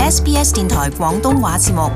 SBS 電台廣東話節目。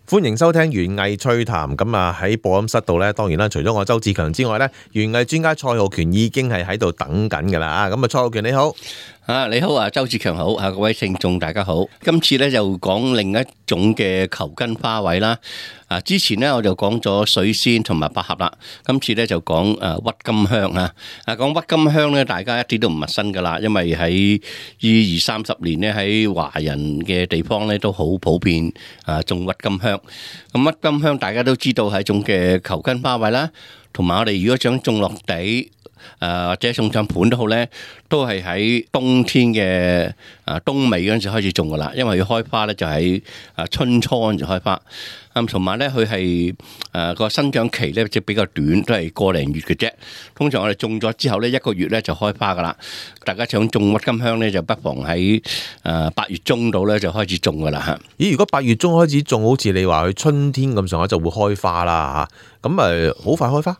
歡迎收聽園藝趣談。咁啊喺播音室度咧，當然啦，除咗我周志強之外咧，園藝專家蔡浩權已經係喺度等緊㗎啦。咁啊，蔡浩權你好。你好啊，周志強好，各位聽眾大家好。今次咧就講另一種嘅球根花卉啦。之前咧我就講咗水仙同埋百合啦，今次咧就講鬱金香啊。講鬱金香咧，大家一啲都唔陌生噶啦，因為喺呢20-30年咧喺華人嘅地方咧都好普遍種鬱金香。咁鬱金香大家都知道係一種嘅球根花卉啦，同埋我哋如果想種落地。或者送上盤都好咧，都係喺冬天嘅冬尾嗰陣時開始種噶啦，因為佢開花咧就喺春初嗰陣時開花。同埋咧佢係個生長期咧即係比較短，都係個零月嘅啫。通常我哋種咗之後咧1個月咧就開花噶啦。大家想種鬱金香咧，就不妨喺8月中度咧就開始種噶啦嚇。咦？如果8月中開始種，好似你話佢春天咁上下就會開花啦嚇，咁好快開花？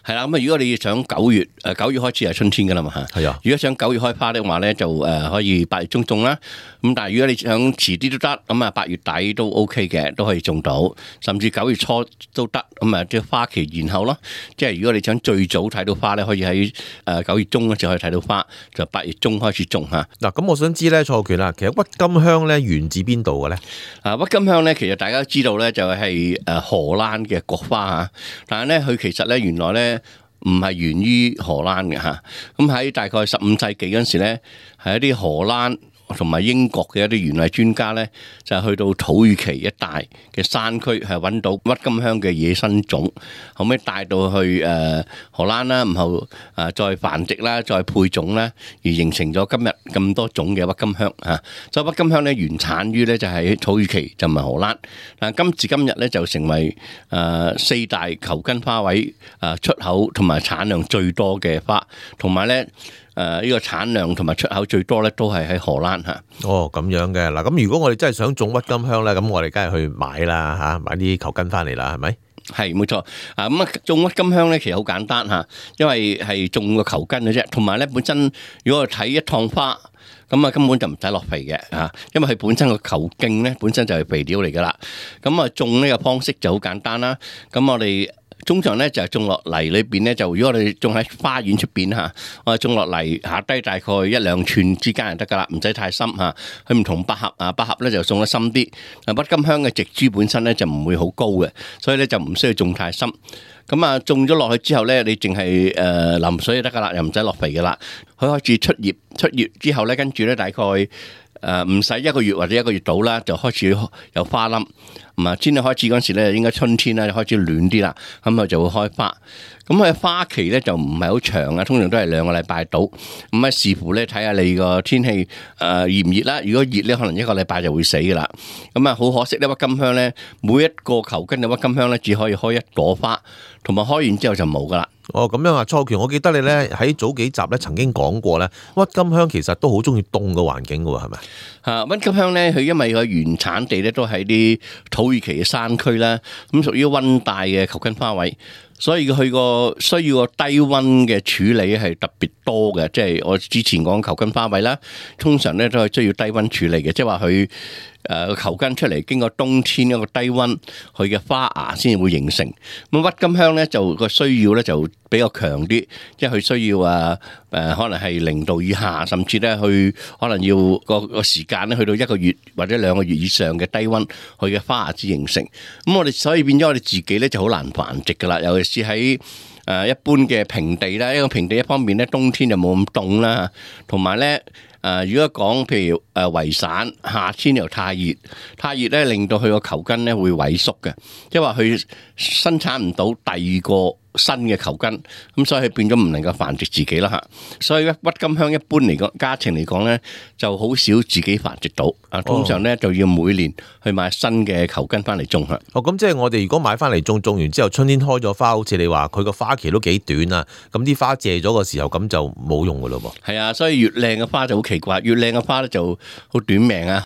係啦，咁如果你想9月開始係春天噶啦嘛嚇。係啊。如果想9月開花的話咧，就可以8月中種啦。咁但係如果你想遲啲都得，咁8月底都 OK 嘅，都可以種到，甚至9月初都得。咁即係花期延後咯。即係如果你想最早睇到花咧，可以喺9月中嗰時可以睇到花，就8月中開始種嚇。嗱，咁我想知咧，蔡浩權啦，其實鬱金香咧源自邊度嘅咧？鬱金香咧，其實大家都知道咧，就係荷蘭嘅國花嚇，但係咧佢其實咧原來咧唔係源於荷蘭嘅嚇。咁喺大概15世紀嗰陣時咧，係一啲荷蘭同埋英國嘅一啲園藝專家咧，就係去到土耳其一帶嘅山區，係揾到鬱金香嘅野生種，後尾帶到去荷蘭啦，然後再繁殖啦，再配種啦，而形成咗今日咁多種嘅鬱金香嚇。所以鬱金香咧原產於咧就係土耳其，就唔係荷蘭。但今時今日咧就成為4大球根花卉出口同埋產量最多嘅花，同埋咧呢個產量同埋出口最多咧都係喺荷蘭嚇。哦，咁樣嘅嗱，咁如果我哋真係想種鬱金香咧，咁我哋梗係去買啦嚇，買啲球根翻嚟啦，係咪？係冇錯。咁種鬱金香咧其實好簡單嚇，因為係種個球根嘅啫，同埋咧本身如果我睇一趟花，咁根本就唔使落肥嘅嚇，因為佢本身個球莖咧本身就係肥料嚟噶啦。咁種呢個方式就好簡單啦。咁我哋通常咧就係種落泥裏邊咧，就如果我哋種喺花園出邊嚇，我哋種落泥下低大概1-2寸之間就得噶啦，唔使太深嚇。佢唔同百合百合咧就種得深啲。鬱金香嘅植株本身咧就唔會好高嘅，所以咧就唔需要種太深。咁種咗落去之後咧，你淨係淋水就得噶啦，又唔使落肥噶啦。佢開始出葉之後咧，跟住咧大概唔使1個月或者1個月到啦，就開始有花冧。天氣開始嗰陣時咧，應該春天啦，就開始暖啲啦，咁佢就會開花。咁佢花期咧就唔係好長啊，通常都係2個禮拜到。咁視乎咧睇下你個天氣熱唔熱啦。如果熱咧，可能1個禮拜就會死噶啦。咁好可惜咧，鬱金香咧每一個球根嘅鬱金香咧只可以開1朵花，同埋開完之後就冇噶啦。哦，咁樣啊，蔡浩權，我記得你咧喺早幾集咧曾經講過咧，鬱金香其實都好中意凍嘅環境噶喎，係咪？鬱金香咧，佢因為佢原產地咧都喺啲土耳其嘅山區啦，咁屬於溫帶嘅球根花卉，所以佢個需要個低溫嘅處理係特別多嘅。即係我之前講球根花卉啦，通常咧都係需要低溫處理嘅，即係話佢個球根出嚟經過冬天一個低溫，佢嘅花芽先至會形成。咁鬱金香咧就個需要咧就比較強啲，即係佢需要可能係0度以下，甚至咧去可能要個時間咧去到1個月或者2個月以上嘅低溫，佢嘅花芽先形成。咁我哋所以變咗我哋自己咧就好難繁殖噶啦，尤其是喺一般嘅平地啦。一個平地一方面咧冬天就冇咁凍啦，同埋咧如果講譬如圍散，夏天又太熱咧，令到佢個球根咧會萎縮嘅，即係話佢生產唔到第2個新嘅球根，咁所以佢變咗唔能夠繁殖自己啦嚇。所以鬱金香一般嚟講，家庭嚟講咧就好少自己繁殖到。通常咧就要每年去買新嘅球根翻嚟種嚇。咁即係我哋如果買翻嚟種完之後，春天開咗花，好似你話佢個花期都幾短啊，咁啲花謝咗嘅時候，咁就冇用噶咯噃。係啊，所以越靚嘅花就好奇怪，越靚嘅花咧就好短命啊。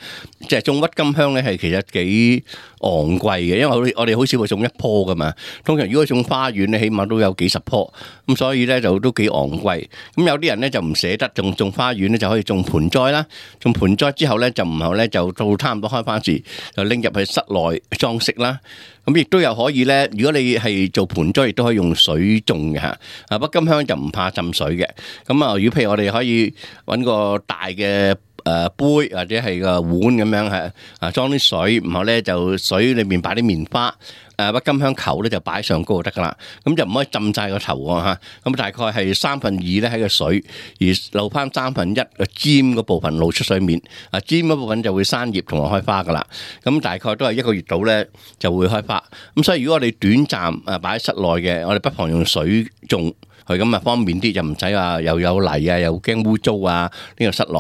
即係種鬱金香咧係其實幾昂貴嘅，因為我哋好少會種一棵噶嘛。通常如果種花園咧，起碼都有幾十棵，咁所以咧就都幾昂貴。咁有啲人咧就唔捨得種花園咧，就可以種盆栽啦。種盆栽之後咧，就唔後咧就到差唔多開花時，就拎入去室內裝飾啦。咁亦都有可以咧，如果你係做盆栽，亦都可以用水種嘅嚇。鬱金香就唔怕浸水嘅。咁啊，如果譬如我哋可以揾個大嘅杯或者係個碗咁樣係裝啲水，然後咧就水裏面擺啲棉花，鬱金香球咧就擺上高就得噶啦。咁就唔可以浸晒個頭喎嚇。咁大概係2/3咧喺個水，而留翻1/3個尖嗰部分露出水面。尖嗰部分就會生葉同埋開花噶啦。咁大概都係1個月到咧就會開花。咁所以如果我哋短暫擺喺室內嘅，我哋不妨用水種。佢咁啊方便啲，就唔使話又有泥啊，又驚污糟啊。呢個室內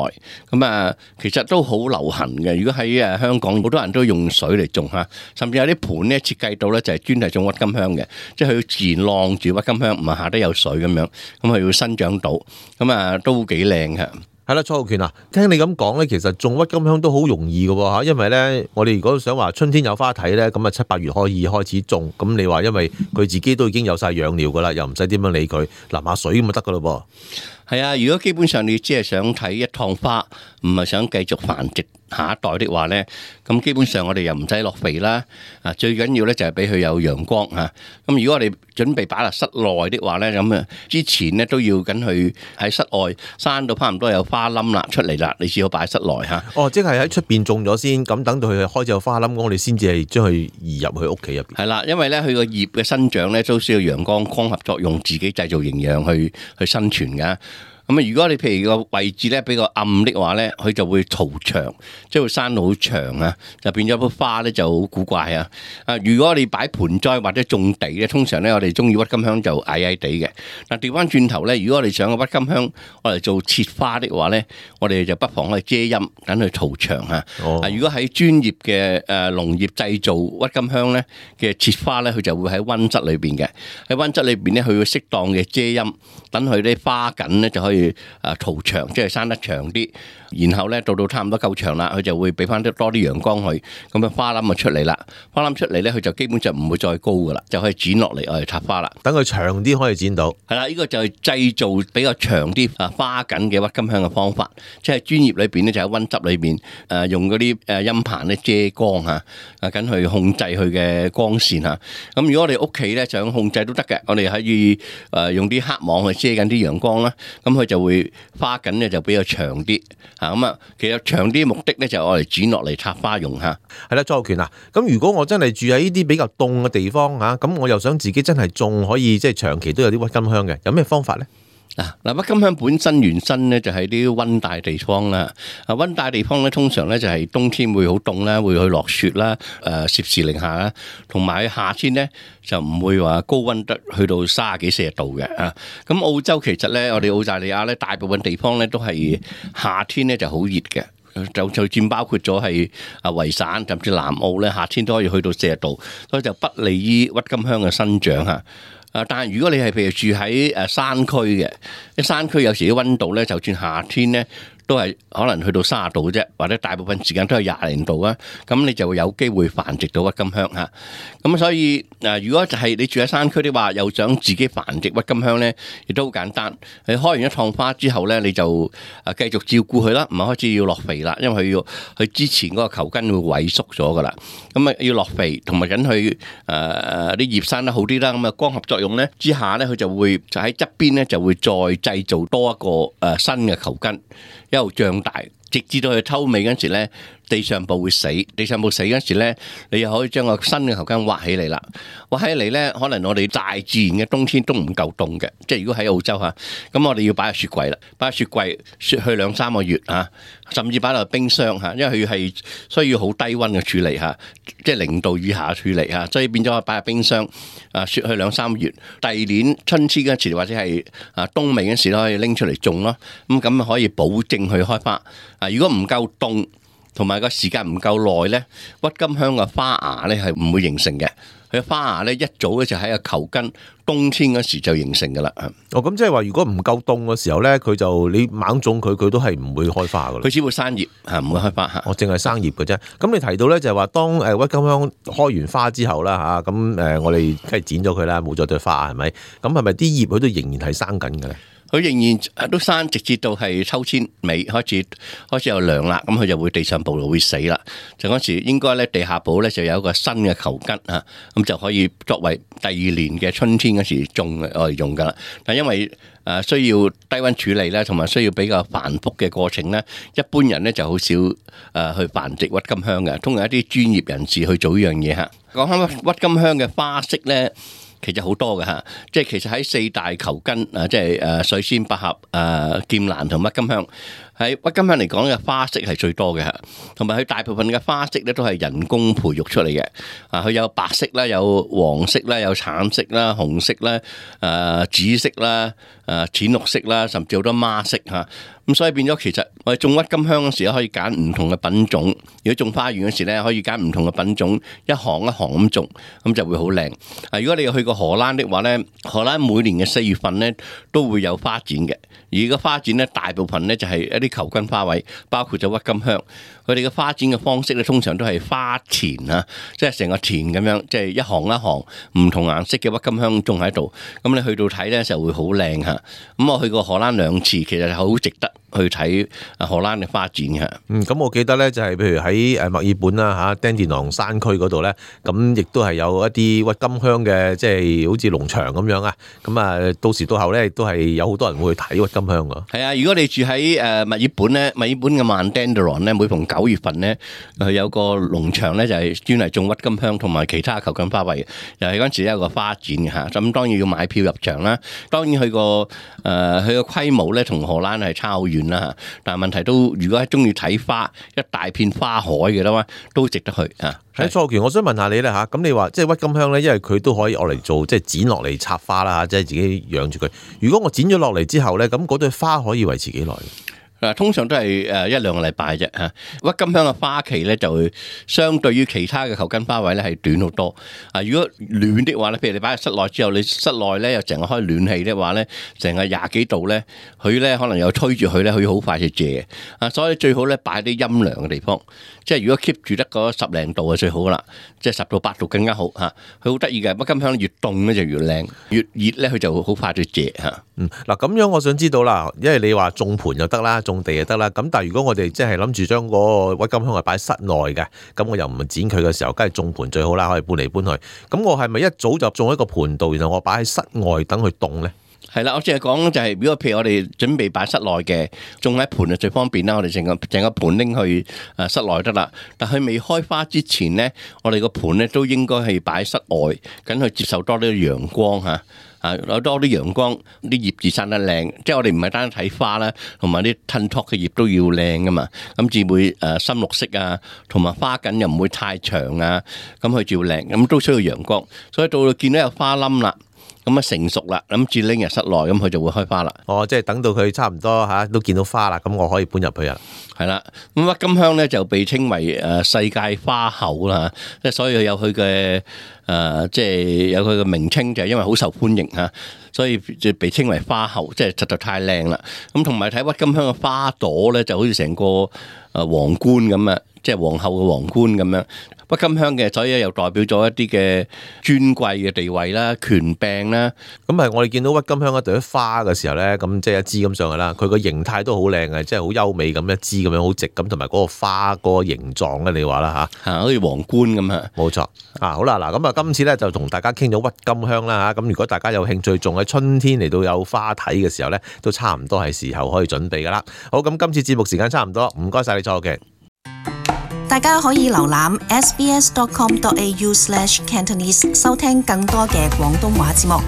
咁啊，其實都好流行嘅。如果喺香港，好多人都用水嚟種嚇，甚至有啲盤咧設計到咧就係專係種鬱金香嘅，即係佢自然晾住鬱金香，唔係下底有水咁樣，咁佢會生長到，咁啊都幾靚嘅。係啦，蔡浩權啊，聽你咁講咧，其實種鬱金香都好容易嘅嚇，因為咧，我哋如果想話春天有花睇咧，咁啊7、8月可以開始種。咁你話因為佢自己都已經有晒養料噶啦，又唔使點樣理佢，淋下水咁就得噶咯噃。係啊，如果基本上你只係想睇一趟花，唔係想繼續繁殖下一代的話咧，咁基本上我哋又唔使落肥啦。最緊要咧就係俾佢有陽光嚇。咁如果我哋準備擺落室內的話咧，咁啊之前咧都要緊佢喺室外生到差唔多有花冧啦出嚟啦，你先好擺喺室內嚇。哦，即係喺出邊種咗先，咁等到佢開始有花冧，我哋先至係將佢移入去屋企入邊。係啦，因為咧佢個葉嘅生長咧都需要陽光光合作用，自己製造營養去生存㗎。咁啊，如果你譬如個位置咧比較暗的話咧，佢就會嘈長，即係會生到好長啊，就變咗棵花咧就好古怪啊！如果你擺盆栽或者種地咧，通常咧我哋中意鬱金香就矮矮地嘅。但調翻轉頭咧，如果我哋想個鬱金香我哋做切花的話咧，我哋就不妨去遮陰，等佢嘈長啊！如果喺專業嘅農業製造鬱金香咧嘅切花咧，佢就會喺溫室裏邊嘅，喺溫室裏邊咧佢會適當嘅遮陰，等佢啲花梗咧就可以嘈長，即係生得長啲，然後咧到差唔多夠長啦，佢就會俾翻多啲陽光去，咁樣花冧就出嚟啦。花冧出嚟咧，佢就基本上唔會再高噶啦，就可以剪落嚟我哋插花啦。等佢長啲可以剪到。係啦，呢個就係製造比較長啲花梗嘅鬱金香嘅方法，即係專業裏邊咧就喺溫室裏邊用嗰啲陰棚咧遮光嚇，緊去控制佢嘅光線嚇。咁如果我哋屋企咧想控制都得嘅，我哋可以用啲黑網去遮緊啲陽光啦，咁佢就會花緊咧就比較長啲嚇。咁啊，其實長啲目的咧就係我哋剪落嚟插花用嚇。係啦，蔡浩權啊，咁如果我真係住喺呢啲比較凍嘅地方嚇，咁我又想自己真係種可以即係長期都有啲鬱金香嘅，有咩方法咧？嗱，鬱金香本身原身咧就係啲溫帶地方啦。溫帶地方咧通常咧就係冬天會好凍啦，會去落雪啦，攝氏零下啦，同埋夏天咧就唔會話高溫得去到30幾40度嘅啊。咁澳洲其實咧，我哋澳大利亞咧大部分地方咧都係夏天咧就好熱嘅，就佔包括咗係維省甚至南澳咧，夏天都可以去到40度，所以就不利於鬱金香嘅生長嚇。但係如果你係譬如住喺山區嘅，啲山區有時啲溫度咧，就算夏天咧，都係可能去到30度啫，或者大部分時間都係20零度啊，咁你就會有機會繁殖到鬱金香嚇。咁所以如果就係你住喺山區的話，又想自己繁殖鬱金香咧，亦都好簡單。你開完一趟花之後咧，你就繼續照顧佢啦，唔係開始要落肥啦，因為佢之前嗰個球根會萎縮咗噶啦。咁啊要落肥，同埋緊佢啲葉生得好啲啦。咁啊光合作用咧之下咧，佢就會就喺側邊咧就會再製造多一個新嘅球根。一路脹大，直至到佢抽尾嗰時咧，地上部會死。地上部死嗰時咧，你又可以將個新嘅球根挖起嚟啦。挖起嚟咧，可能我哋大自然嘅冬天都唔夠凍嘅，即係如果喺澳洲嚇，咁我哋要擺入雪櫃啦，擺入雪櫃雪去2-3個月嚇，甚至擺落冰箱嚇，因為佢係需要好低溫嘅處理嚇，即係0度以下嘅處理嚇，所以變咗擺入冰箱雪去2-3個月。第二年春天嗰時或者係冬尾嗰時都可以拎出嚟種咯，咁可以保證佢開花。如果唔夠凍，同埋個時間唔夠耐咧，鬱金香嘅花芽咧係唔會形成嘅。佢花芽咧一早咧就喺個球根冬天嗰時就形成噶啦。咁即係話，如果唔夠凍嘅時候咧，佢就你猛種佢都係唔會開花噶啦。佢只會生葉嚇，唔會開花嚇。我淨係生葉嘅啫。咁你提到咧就係話，當鬱金香開完花之後啦嚇，咁我哋梗係剪咗佢啦，冇咗對花係咪？咁係咪啲葉佢都仍然係生緊嘅咧？佢仍然都生，直至到係秋天尾開始有涼啦，咁佢就會地上部會死啦。就嗰時應該咧地下部咧就有一個新嘅球根啊，咁就可以作為第二年嘅春天嗰時種我哋用噶啦。但因為需要低溫處理咧，同埋需要比較繁複嘅過程咧，一般人咧就好少去繁殖鬱金香嘅，通常一啲專業人士去做呢樣嘢嚇。講翻鬱金香嘅花色咧，其實好多嘅嚇，即係其實喺四大球根即係水仙、百合、劍蘭同鬱金香。喺鬱金香嚟講嘅花色係最多嘅嚇，同埋佢大部分嘅花色咧都係人工培育出嚟嘅。佢有白色啦，有黃色啦，有橙色啦、紅色啦、紫色啦、淺綠色啦，甚至好多孖色嚇。咁所以變咗其實我哋種鬱金香嗰時可以揀唔同嘅品種。如果種花園嗰時咧，可以揀唔同嘅品種，一行一行咁種，咁就會好靚。如果你有去過荷蘭的話咧，荷蘭每年嘅4月份咧都會有花展嘅。而個花展咧，大部分咧就係一啲球根花卉，包括咗鬱金香。佢哋嘅花展嘅方式咧，通常都係花田啊，即係成個田咁樣，即係一行一行唔同顏色嘅鬱金香種喺度。咁你去到睇咧就會好靚嚇。咁我去過荷蘭2次，其實好值得去睇荷蘭嘅花展嚇。咁我記得咧就係譬如喺墨爾本啦嚇，丹田囊山區嗰度咧，咁亦都係有一啲鬱金香嘅，即係好似農場咁樣啊。咁啊，到時到後咧，亦都係有好多人會去睇鬱金香㗎。係啊，如果你住喺墨爾本咧，墨爾本嘅曼丹德朗咧，每逢9月份咧，佢有個農場咧，就係專係種鬱金香同埋其他球根花卉，又係嗰陣時有個花展嘅嚇。咁當然要買票入場啦。當然佢個規模咧同荷蘭係差好遠啦嚇。但係問題都，如果係中意睇花，一大片花海嘅啦嘛，都值得去嚇。喺蔡權，我想問下你咧嚇，咁你話即係鬱金香咧，因為佢都可以攞嚟做即係剪落嚟插花啦嚇，即係自己養住佢。如果我剪咗落嚟之後咧，咁嗰對花可以維持幾耐？通常都係1-2個禮拜啫嚇。鬱金香嘅花期咧就會相對於其他嘅球根花卉咧係短好多。如果暖的話咧，譬如你擺喺室內之後，你室內咧又成日開暖氣的話咧，成日20幾度咧，佢咧可能又推住佢咧，佢好快就謝。所以最好咧擺啲陰涼嘅地方。即係如果 keep 住得嗰10零度就最好啦，即係10到8度更加好嚇。佢好得意嘅，鬱金香越凍咧就越靚，越熱咧佢就好快就謝嚇。嗱咁樣我想知道啦，因為你話種盆就得啦，種地就得啦。咁但係如果我哋即係諗住將嗰個鬱金香係擺室內嘅，咁我又唔剪佢嘅時候，梗係種盆最好啦，可以搬嚟搬去。咁我係咪一早就種喺個盆度，然後我擺喺室外等佢凍咧？係啦，我淨係講就係，如果譬如我哋準備擺室內嘅，種喺盆就最方便啦。我哋成個盆拎去室內得啦。但係未開花之前咧，我哋個盆咧都應該係擺喺室外，咁去接受多啲陽光嚇。有多啲陽光，啲葉子生得靚。即係我哋唔係單睇花啦，同埋啲褪托嘅葉都要靚噶嘛。咁至會深綠色啊，同埋花梗又唔會太長啊。咁佢照靚，咁都需要陽光。所以到見到有花冧啦。咁啊成熟啦，諗住拎入室內，咁佢就會開花啦。即係等到佢差唔多都見到花啦，咁我可以搬入去啦。係啦，咁鬱金香咧就被稱為世界花后啦，即係所以有佢嘅即係有佢嘅名稱，就係因為好受歡迎嚇，所以就被稱為花后，即係實在太靚啦。咁同埋睇鬱金香嘅花朵咧，就好似成個皇冠咁啊，即係皇后嘅皇冠咁樣。鬱金香嘅，所以又代表咗一啲嘅尊貴嘅地位啦、權柄啦。咁係我哋見到鬱金香一朵花嘅時候咧，咁即係一支咁上去啦。佢個形態都好靚嘅，即係好優美咁一支咁樣好直咁，同埋嗰個花嗰個形狀咧，你話啦嚇，好似皇冠咁啊。冇錯好啦，嗱咁啊，今次咧就同大家傾咗鬱金香啦嚇。咁如果大家有興趣，仲喺春天嚟到有花睇嘅時候咧，都差唔多係時候可以準備噶啦。好，咁今次節目時間差唔多，唔該晒你蔡嘅。大家可以瀏覽 sbs.com.au/cantonese 收聽更多嘅廣東話節目。